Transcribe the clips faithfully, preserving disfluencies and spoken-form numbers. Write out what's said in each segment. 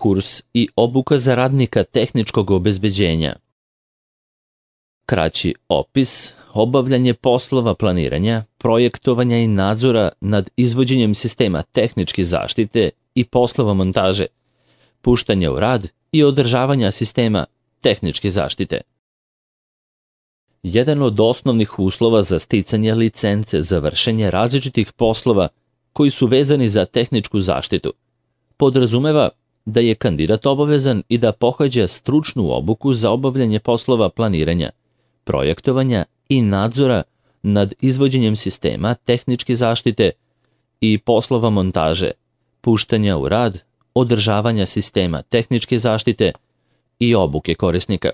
kurs i obuka za radnika tehničkog obezbeđenja. Kraći opis: obavljanje poslova planiranja, projektovanja i nadzora nad izvođenjem sistema tehničke zaštite i poslova montaže, puštanja u rad i održavanja sistema tehničke zaštite. Jedan od osnovnih uslova za sticanje licence za vršenje različitih poslova koji su vezani za tehničku zaštitu podrazumeva da je kandidat obavezan i da pohađa stručnu obuku za obavljanje poslova planiranja, projektovanja i nadzora nad izvođenjem sistema tehničke zaštite i poslova montaže, puštanja u rad, održavanja sistema tehničke zaštite i obuke korisnika.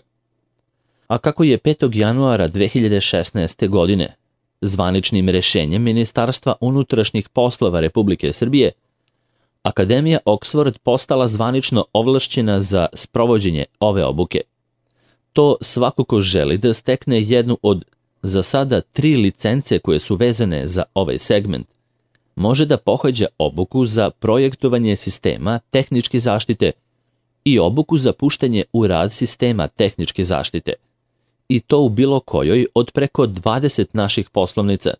A kako je petog januara dve hiljade šesnaeste. godine zvaničnim rešenjem Ministarstva unutrašnjih poslova Republike Srbije, Akademija Oxford postala zvanično ovlašćena za sprovođenje ove obuke. To svako ko želi da stekne jednu od za sada tri licence koje su vezane za ovaj segment, može da pohađa obuku za projektovanje sistema tehničke zaštite i obuku za puštanje u rad sistema tehničke zaštite, i to u bilo kojoj od preko dvadeset naših poslovnica,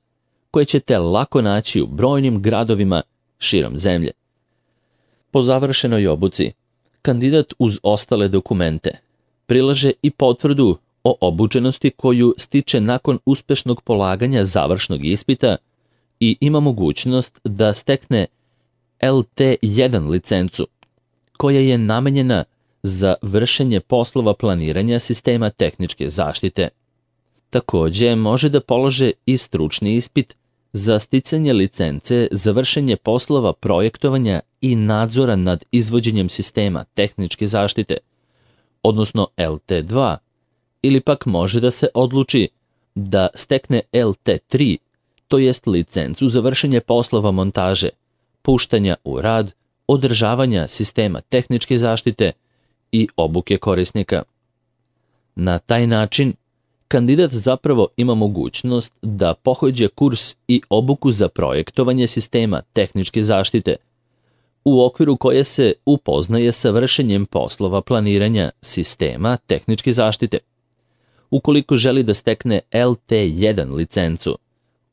koje ćete lako naći u brojnim gradovima širom zemlje. Po završenoj obuci, kandidat uz ostale dokumente prilaže i potvrdu o obučenosti koju stiče nakon uspešnog polaganja završnog ispita i ima mogućnost da stekne L T jedan licencu, koja je namenjena za vršenje poslova planiranja sistema tehničke zaštite. Takođe, može da polože i stručni ispit za sticanje licence za vršenje poslova projektovanja i nadzora nad izvođenjem sistema tehničke zaštite, odnosno L T dva, ili pak može da se odluči da stekne L T tri, to jest licencu za vršenje poslova montaže, puštanja u rad, održavanja sistema tehničke zaštite i obuke korisnika. Na taj način, kandidat zapravo ima mogućnost da pohađa kurs i obuku za projektovanje sistema tehničke zaštite, u okviru koje se upoznaje sa vršenjem poslova planiranja sistema tehničke zaštite. Ukoliko želi da stekne L T jedan licencu,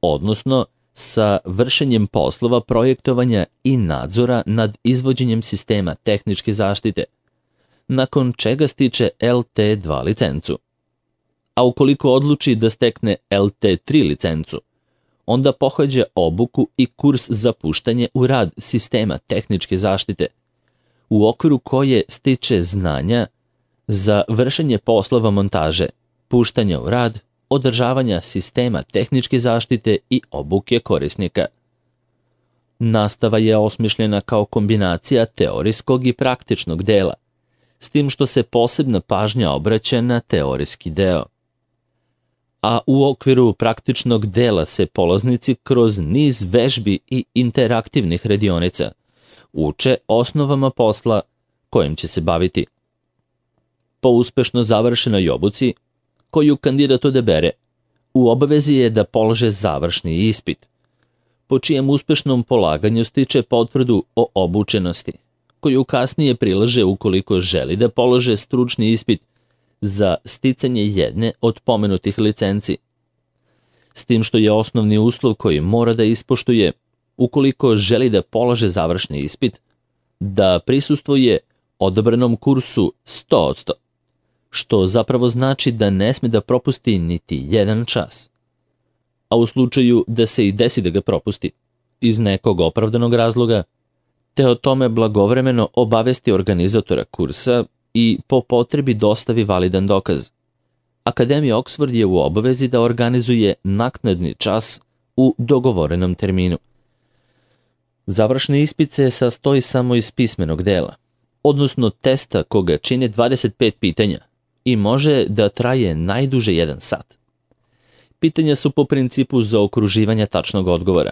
odnosno sa vršenjem poslova projektovanja i nadzora nad izvođenjem sistema tehničke zaštite, nakon čega stiče L T dva licencu. A ukoliko odluči da stekne L T tri licencu, onda pohađa obuku i kurs za puštanje u rad sistema tehničke zaštite, u okviru koje stiče znanja za vršenje poslova montaže, puštanja u rad, održavanja sistema tehničke zaštite i obuke korisnika. Nastava je osmišljena kao kombinacija teorijskog i praktičnog dela, s tim što se posebna pažnja obraća na teorijski deo. A u okviru praktičnog dela se polaznici kroz niz vežbi i interaktivnih radionica uče osnovama posla kojim će se baviti. Po uspešno završenoj obuci, koju kandidat odabere, u obavezi je da polože završni ispit, po čijem uspešnom polaganju stiče potvrdu o obučenosti, koju kasnije prilaže ukoliko želi da polože stručni ispit za sticanje jedne od pomenutih licenci. S tim što je osnovni uslov koji mora da ispoštuje ukoliko želi da polaže završni ispit, da prisustvuje odabranom kursu sto posto, što zapravo znači da ne sme da propusti niti jedan čas. A u slučaju da se i desi da ga propusti, iz nekog opravdanog razloga, te o tome blagovremeno obavesti organizatora kursa i po potrebi dostavi validan dokaz. Akademija Oxford je u obavezi da organizuje naknadni čas u dogovorenom terminu. Završni ispit se sastoji samo iz pismenog dela, odnosno testa koga čine dvadeset pet pitanja i može da traje najduže jedan sat. Pitanja su po principu zaokruživanja tačnog odgovora,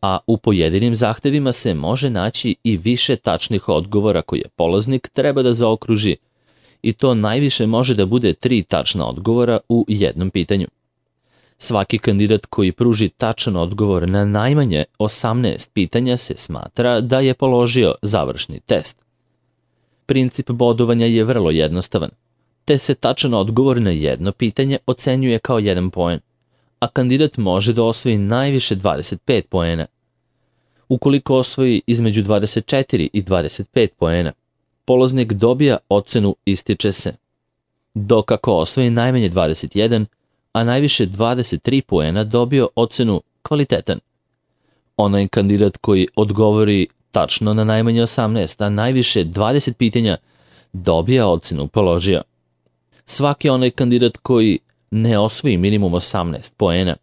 a u pojedinim zahtevima se može naći i više tačnih odgovora koje polaznik treba da zaokruži, i to najviše može da bude tri tačna odgovora u jednom pitanju. Svaki kandidat koji pruži tačan odgovor na najmanje osamnaest pitanja se smatra da je položio završni test. Princip bodovanja je vrlo jednostavan, te se tačan odgovor na jedno pitanje ocenjuje kao jedan poen, a kandidat može da osvoji najviše dvadeset pet poena. Ukoliko osvoji između dvadeset četiri i dvadeset pet poena, polaznik dobija ocenu ističe se, dok ako osvoji najmanje dvadeset jedan, a najviše dvadeset tri poena dobio ocenu kvalitetan. Onaj kandidat koji odgovori tačno na najmanje osamnaest, a najviše dvadeset pitanja dobija ocenu položio. Svaki onaj kandidat koji ne osvoji minimum osamnaest poena,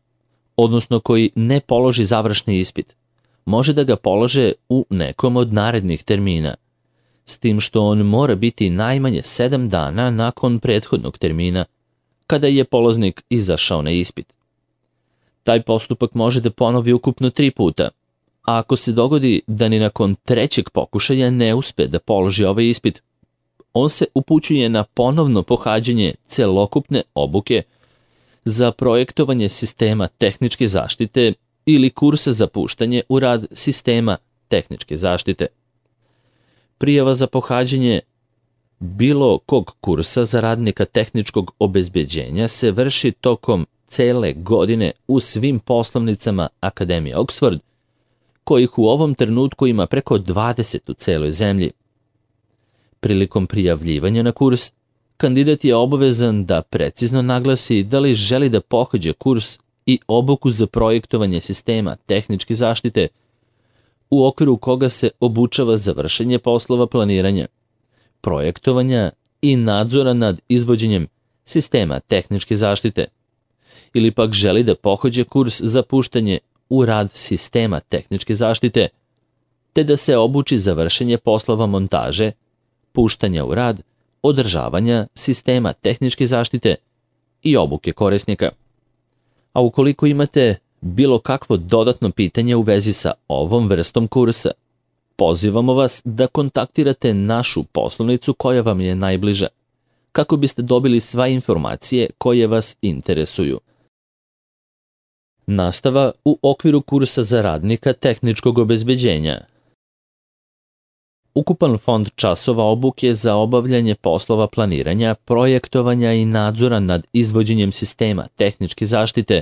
odnosno koji ne položi završni ispit, može da ga polože u nekom od narednih termina, s tim što on mora biti najmanje sedam dana nakon prethodnog termina, kada je polaznik izašao na ispit. Taj postupak može da ponovi ukupno tri puta, a ako se dogodi da ni nakon trećeg pokušaja ne uspe da položi ovaj ispit, on se upućuje na ponovno pohađanje celokupne obuke za projektovanje sistema tehničke zaštite ili kursa za puštanje u rad sistema tehničke zaštite. Prijava za pohađanje bilo kog kursa za radnika tehničkog obezbeđenja se vrši tokom cele godine u svim poslovnicama Akademije Oxford, kojih u ovom trenutku ima preko dvadeset u celoj zemlji. Prilikom prijavljivanja na kurs, kandidat je obavezan da precizno naglasi da li želi da pohađa kurs i obuku za projektovanje sistema tehničke zaštite, u okviru koga se obučava za vršenje poslova planiranja, projektovanja i nadzora nad izvođenjem sistema tehničke zaštite, ili pak želi da pohađa kurs za puštanje u rad sistema tehničke zaštite, te da se obuči za vršenje poslova montaže, puštanja u rad, održavanja sistema tehničke zaštite i obuke korisnika. A ukoliko imate bilo kakvo dodatno pitanje u vezi sa ovom vrstom kursa, pozivamo vas da kontaktirate našu poslovnicu koja vam je najbliža, kako biste dobili sve informacije koje vas interesuju. Nastava u okviru kursa za radnika tehničkog obezbeđenja. Ukupan fond časova obuke za obavljanje poslova planiranja, projektovanja i nadzora nad izvođenjem sistema tehničke zaštite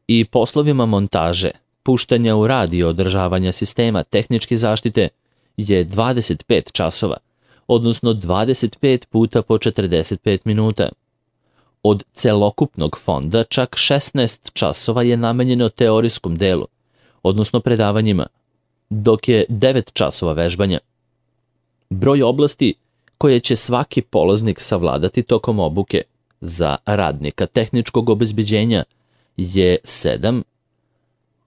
i poslovima montaže, puštanja u rad i održavanja sistema tehničke zaštite je dvadeset pet časova, odnosno dvadeset pet puta po četrdeset pet minuta. Od celokupnog fonda čak šesnaest časova je namenjeno teorijskom delu, odnosno predavanjima, dok je devet časova vežbanja. Broj oblasti koje će svaki polaznik savladati tokom obuke za radnika tehničkog obezbeđenja je sedam,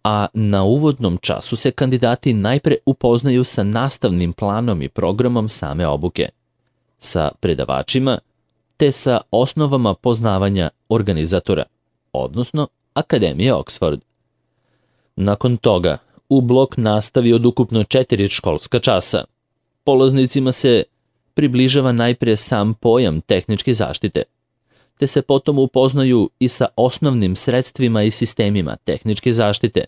a na uvodnom času se kandidati najpre upoznaju sa nastavnim planom i programom same obuke, sa predavačima, te sa osnovama poznavanja organizatora, odnosno Akademije Oxford. Nakon toga, u blok nastavi od ukupno četiri školska časa, polaznicima se približava najpre sam pojam tehničke zaštite, te se potom upoznaju i sa osnovnim sredstvima i sistemima tehničke zaštite,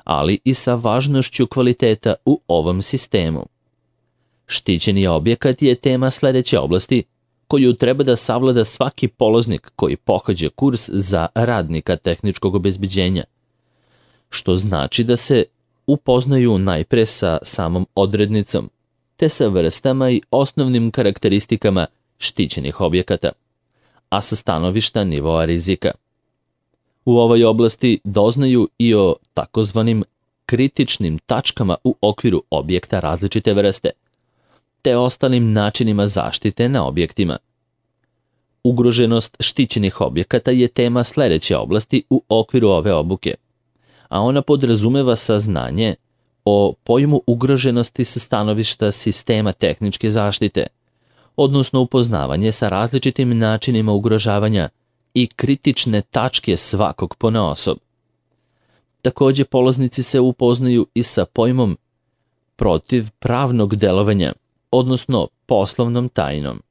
ali i sa važnošću kvaliteta u ovom sistemu. Štićeni objekat je tema sledeće oblasti koju treba da savlada svaki polaznik koji pohađa kurs za radnika tehničkog obezbeđenja, što znači da se upoznaju najpre sa samom odrednicom, te sa vrstama i osnovnim karakteristikama štićenih objekata, a sa stanovišta nivoa rizika. U ovoj oblasti doznaju i o takozvanim kritičnim tačkama u okviru objekta različite vrste, te ostalim načinima zaštite na objektima. Ugroženost štićenih objekata je tema sledeće oblasti u okviru ove obuke, a ona podrazumeva saznanje o pojmu ugroženosti sa stanovišta sistema tehničke zaštite, odnosno upoznavanje sa različitim načinima ugrožavanja i kritične tačke svakog ponaosob. Takođe, polaznici se upoznaju i sa pojmom protiv pravnog delovanja, odnosno poslovnom tajnom.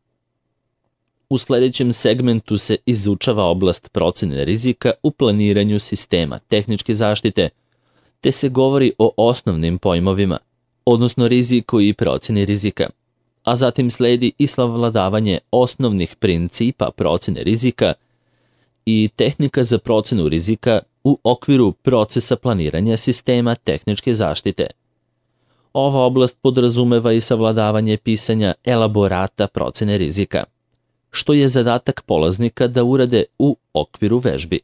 U sledećem segmentu se izučava oblast procene rizika u planiranju sistema tehničke zaštite, te se govori o osnovnim pojmovima, odnosno riziku i proceni rizika, a zatim sledi i savladavanje osnovnih principa procene rizika i tehnika za procenu rizika u okviru procesa planiranja sistema tehničke zaštite. Ova oblast podrazumeva i savladavanje pisanja elaborata procene rizika, što je zadatak polaznika da urade u okviru vežbi.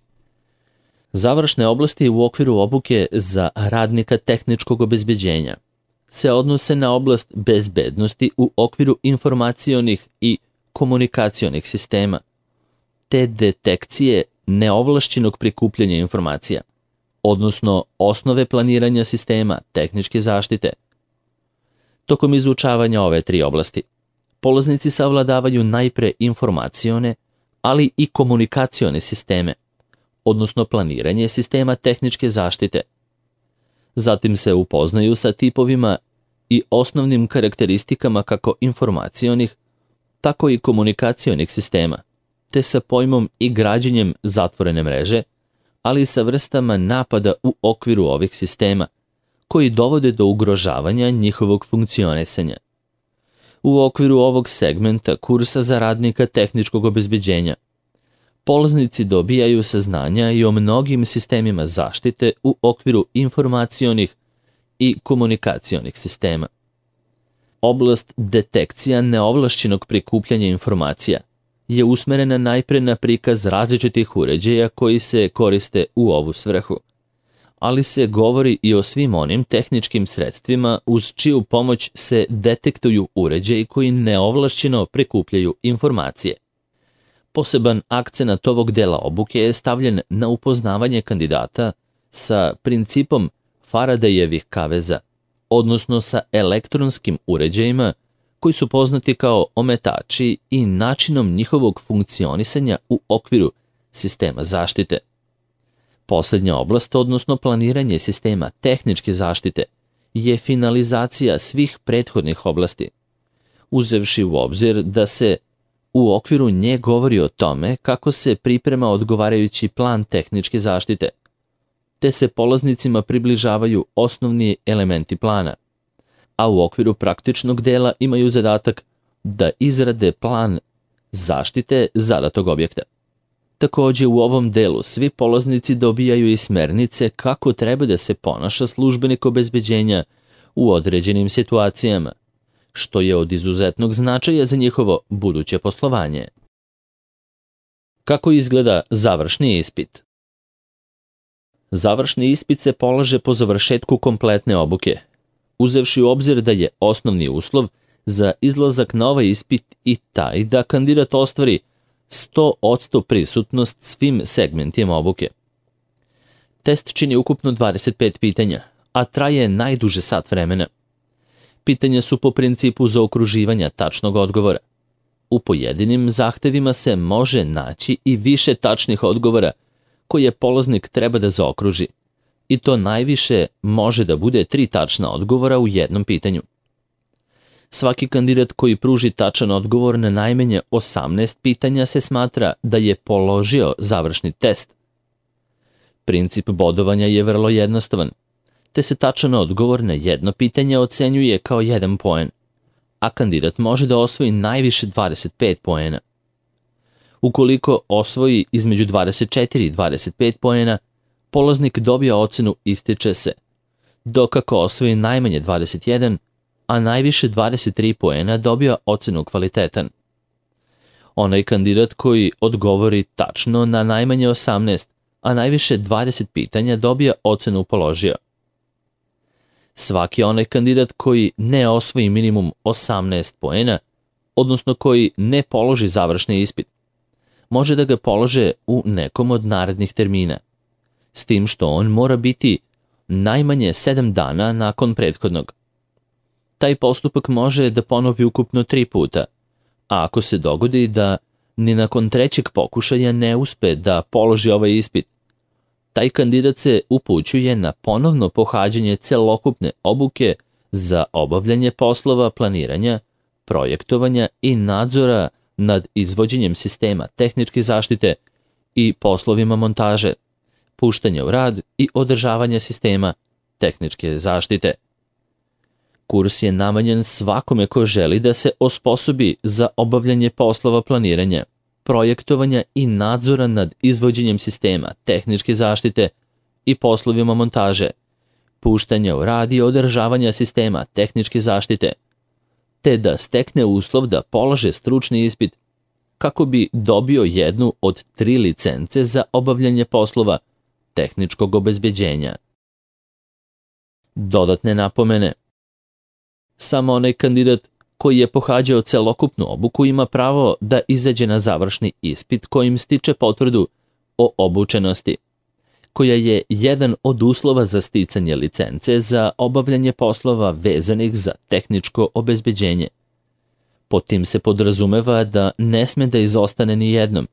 Završne oblasti u okviru obuke za radnika tehničkog obezbeđenja se odnose na oblast bezbednosti u okviru informacionih i komunikacionih sistema, te detekcije neovlašćenog prikupljanja informacija, odnosno osnove planiranja sistema tehničke zaštite. Tokom izučavanja ove tri oblasti, polaznici savladavaju najpre informacione, ali i komunikacione sisteme, odnosno planiranje sistema tehničke zaštite. Zatim se upoznaju sa tipovima i osnovnim karakteristikama kako informacionih, tako i komunikacionih sistema, te sa pojmom i građenjem zatvorene mreže, ali i sa vrstama napada u okviru ovih sistema, koji dovode do ugrožavanja njihovog funkcionisanja. U okviru ovog segmenta kursa za radnika tehničkog obezbeđenja, polaznici dobijaju saznanja i o mnogim sistemima zaštite u okviru informacionih i komunikacionih sistema. Oblast detekcija neovlašćenog prikupljanja informacija je usmerena najpre na prikaz različitih uređaja koji se koriste u ovu svrhu, ali se govori i o svim onim tehničkim sredstvima uz čiju pomoć se detektuju uređaji koji neovlašćeno prikupljaju informacije. Poseban akcenat ovog dela obuke je stavljen na upoznavanje kandidata sa principom Faradayevih kaveza, odnosno sa elektronskim uređajima koji su poznati kao ometači i načinom njihovog funkcionisanja u okviru sistema zaštite. Poslednja oblast, odnosno planiranje sistema tehničke zaštite, je finalizacija svih prethodnih oblasti, uzevši u obzir da se u okviru nje govori o tome kako se priprema odgovarajući plan tehničke zaštite, te se polaznicima približavaju osnovni elementi plana, a u okviru praktičnog dela imaju zadatak da izrade plan zaštite zadatog objekta. Takođe, u ovom delu svi polaznici dobijaju i smernice kako treba da se ponaša službenik obezbeđenja u određenim situacijama, što je od izuzetnog značaja za njihovo buduće poslovanje. Kako izgleda završni ispit? Završni ispit se polaže po završetku kompletne obuke, uzevši u obzir da je osnovni uslov za izlazak na ovaj ispit i taj da kandidat ostvari sto posto prisutnost svim segmentima obuke. Test čini ukupno dvadeset pet pitanja, a traje najduže sat vremena. Pitanja su po principu zaokruživanja tačnog odgovora. U pojedinim zahtevima se može naći i više tačnih odgovora koje polaznik treba da zaokruži, i to najviše može da bude tri tačna odgovora u jednom pitanju. Svaki kandidat koji pruži tačan odgovor na najmanje osamnaest pitanja se smatra da je položio završni test. Princip bodovanja je vrlo jednostavan, te se tačan odgovor na jedno pitanje ocenjuje kao jedan poen, a kandidat može da osvoji najviše dvadeset pet poena. Ukoliko osvoji između dvadeset četiri i dvadeset pet poena, polaznik dobija ocenu ističe se, dok ako osvoji najmanje dvadeset jedan, a najviše dvadeset tri poena dobija ocenu kvalitetan. Onaj kandidat koji odgovori tačno na najmanje osamnaest, a najviše dvadeset pitanja dobija ocenu položio. Svaki onaj kandidat koji ne osvoji minimum osamnaest poena, odnosno koji ne položi završni ispit, može da ga polože u nekom od narednih termina, s tim što on mora biti najmanje sedam dana nakon prethodnog. Taj postupak može da ponovi ukupno tri puta, a ako se dogodi da ni nakon trećeg pokušaja ne uspe da položi ovaj ispit, taj kandidat se upućuje na ponovno pohađanje celokupne obuke za obavljanje poslova planiranja, projektovanja i nadzora nad izvođenjem sistema tehničke zaštite i poslovima montaže, puštanja u rad i održavanja sistema tehničke zaštite. Kurs je namenjen svakome ko želi da se osposobi za obavljanje poslova planiranja, projektovanja i nadzora nad izvođenjem sistema, tehničke zaštite i poslovima montaže, puštanja u rad i održavanja sistema tehničke zaštite, te da stekne uslov da polaže stručni ispit kako bi dobio jednu od tri licence za obavljanje poslova tehničkog obezbeđenja. Dodatne napomene. Samo onaj kandidat koji je pohađao celokupnu obuku ima pravo da izađe na završni ispit kojim stiče potvrdu o obučenosti, koja je jedan od uslova za sticanje licence za obavljanje poslova vezanih za tehničko obezbeđenje. Pod tim se podrazumeva da ne sme da izostane ni jednom,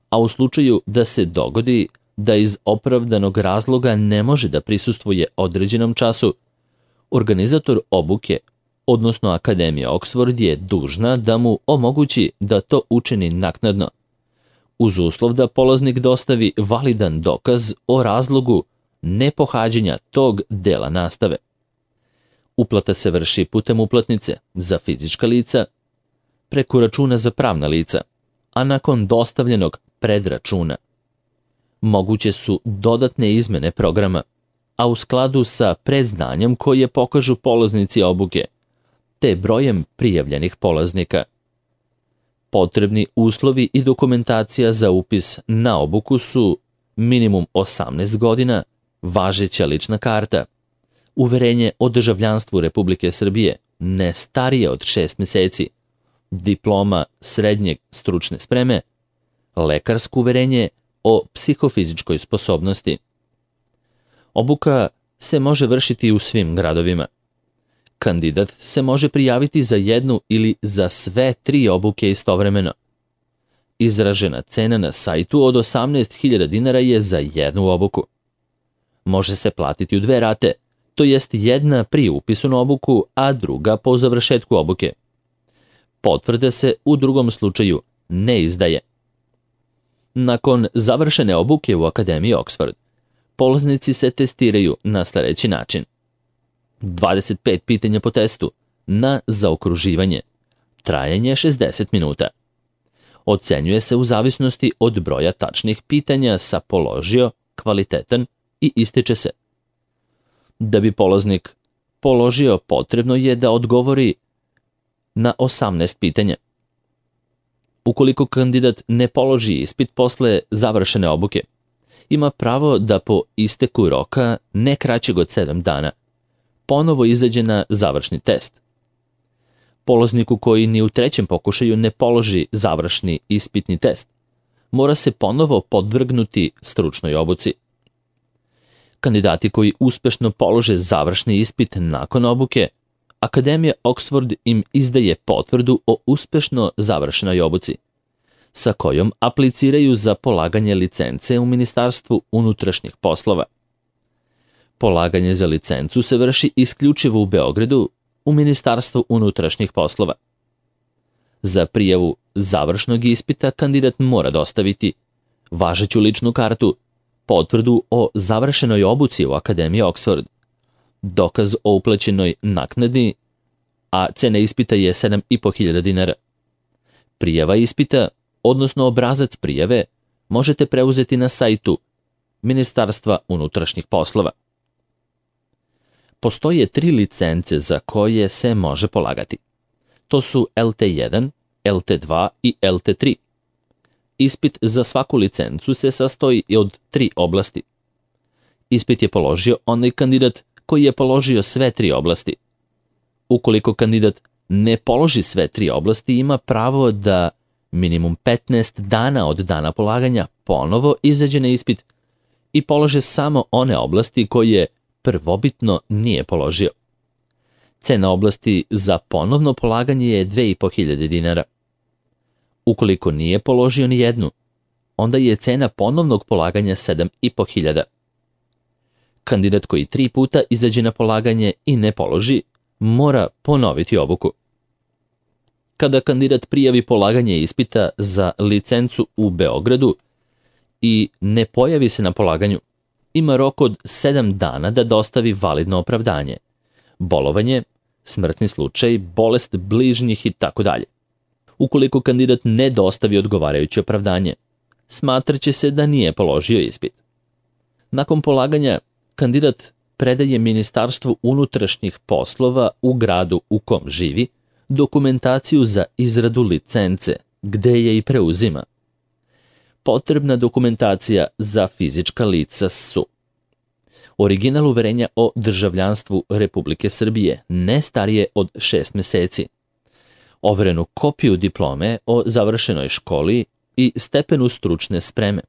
a u slučaju da se dogodi da iz opravdanog razloga ne može da prisustvuje određenom času, organizator obuke, odnosno Akademija Oxford, je dužna da mu omogući da to učini naknadno, uz uslov da polaznik dostavi validan dokaz o razlogu nepohađanja tog dela nastave. Uplata se vrši putem uplatnice za fizička lica, preko računa za pravna lica, a nakon dostavljenog predračuna. Moguće su dodatne izmene programa, a u skladu sa predznanjem koje pokažu polaznici obuke, te brojem prijavljenih polaznika. Potrebni uslovi i dokumentacija za upis na obuku su minimum osamnaest godina, važeća lična karta, uverenje o državljanstvu Republike Srbije, ne starije od šest meseci, diploma srednjeg stručne spreme, lekarsko uverenje o psihofizičkoj sposobnosti. Obuka se može vršiti u svim gradovima. Kandidat se može prijaviti za jednu ili za sve tri obuke istovremeno. Izražena cena na sajtu od osamnaest hiljada dinara je za jednu obuku. Može se platiti u dve rate, to jest jedna pri upisu na obuku, a druga po završetku obuke. Potvrda se u drugom slučaju ne izdaje. Nakon završene obuke u Akademiji Oxford, polaznici se testiraju na sledeći način. dvadeset pet pitanja po testu na zaokruživanje. Trajanje šezdeset minuta. Ocenjuje se u zavisnosti od broja tačnih pitanja sa položio, kvalitetan i ističe se. Da bi polaznik položio, potrebno je da odgovori na osamnaest pitanja. Ukoliko kandidat ne položi ispit posle završene obuke, ima pravo da po isteku roka, ne kraćeg od sedam dana, ponovo izađe na završni test. Polazniku koji ni u trećem pokušaju ne položi završni ispitni test, mora se ponovo podvrgnuti stručnoj obuci. Kandidati koji uspešno polože završni ispit nakon obuke, Akademija Oxford im izdaje potvrdu o uspešno završenoj obuci, sa kojom apliciraju za polaganje licence u Ministarstvu unutrašnjih poslova. Polaganje za licencu se vrši isključivo u Beogradu u Ministarstvu unutrašnjih poslova. Za prijavu završnog ispita kandidat mora dostaviti važeću ličnu kartu, potvrdu o završenoj obuci u Akademiji Oxford, dokaz o uplaćenoj naknadi, a cena ispita je sedam i po hiljada dinara. Prijava ispita, odnosno obrazac prijave, možete preuzeti na sajtu Ministarstva unutrašnjih poslova. Postoje tri licence za koje se može polagati. To su L T jedan, L T dva i L T tri. Ispit za svaku licencu se sastoji od tri oblasti. Ispit je položio onaj kandidat koji je položio sve tri oblasti. Ukoliko kandidat ne položi sve tri oblasti, ima pravo da minimum petnaest dana od dana polaganja ponovo izađe na ispit i polože samo one oblasti koje prvobitno nije položio. Cena oblasti za ponovno polaganje je dve i po hiljade dinara. Ukoliko nije položio ni jednu, onda je cena ponovnog polaganja sedam i po hiljada. Kandidat koji tri puta izađe na polaganje i ne položi, mora ponoviti obuku. Kada kandidat prijavi polaganje ispita za licencu u Beogradu i ne pojavi se na polaganju, ima rok od sedam dana da dostavi validno opravdanje, bolovanje, smrtni slučaj, bolest bližnjih i tako dalje. Ukoliko kandidat ne dostavi odgovarajuće opravdanje, smatraće se da nije položio ispit. Nakon polaganja, kandidat predaje Ministarstvu unutrašnjih poslova u gradu u kom živi dokumentaciju za izradu licence, gde je i preuzima. Potrebna dokumentacija za fizička lica su: original uverenja o državljanstvu Republike Srbije, ne starije od šest meseci, overenu kopiju diplome o završenoj školi i stepenu stručne spreme,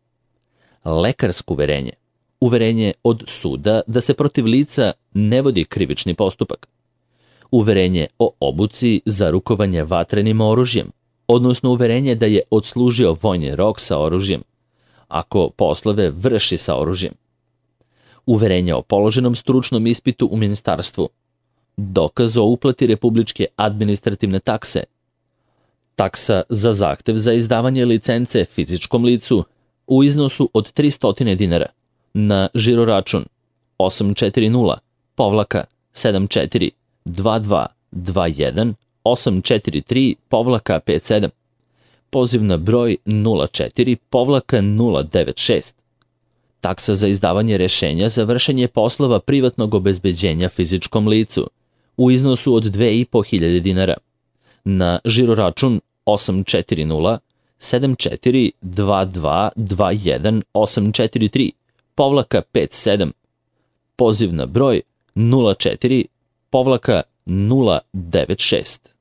lekarsko uverenje, uverenje od suda da se protiv lica ne vodi krivični postupak, uverenje o obuci za rukovanje vatrenim oružjem, odnosno uverenje da je odslužio vojni rok sa oružjem, ako poslove vrši sa oružjem, uverenje o položenom stručnom ispitu u ministarstvu, dokaz o uplati republičke administrativne takse, taksa za zahtev za izdavanje licence fizičkom licu u iznosu od tristo dinara na žiroračun osam četiri nula sedam četiri dva dva dva jedan osam četiri tri pet sedam, poziv na broj nula četiri nula devet šest, taksa za izdavanje rešenja za vršenje poslova privatnog obezbeđenja fizičkom licu u iznosu od dve i po hiljade dinara na žiroračun osam četiri nula sedam četiri dva dva dva jedan osam četiri tri pet sedam, poziv na broj nula četiri nula devet šest.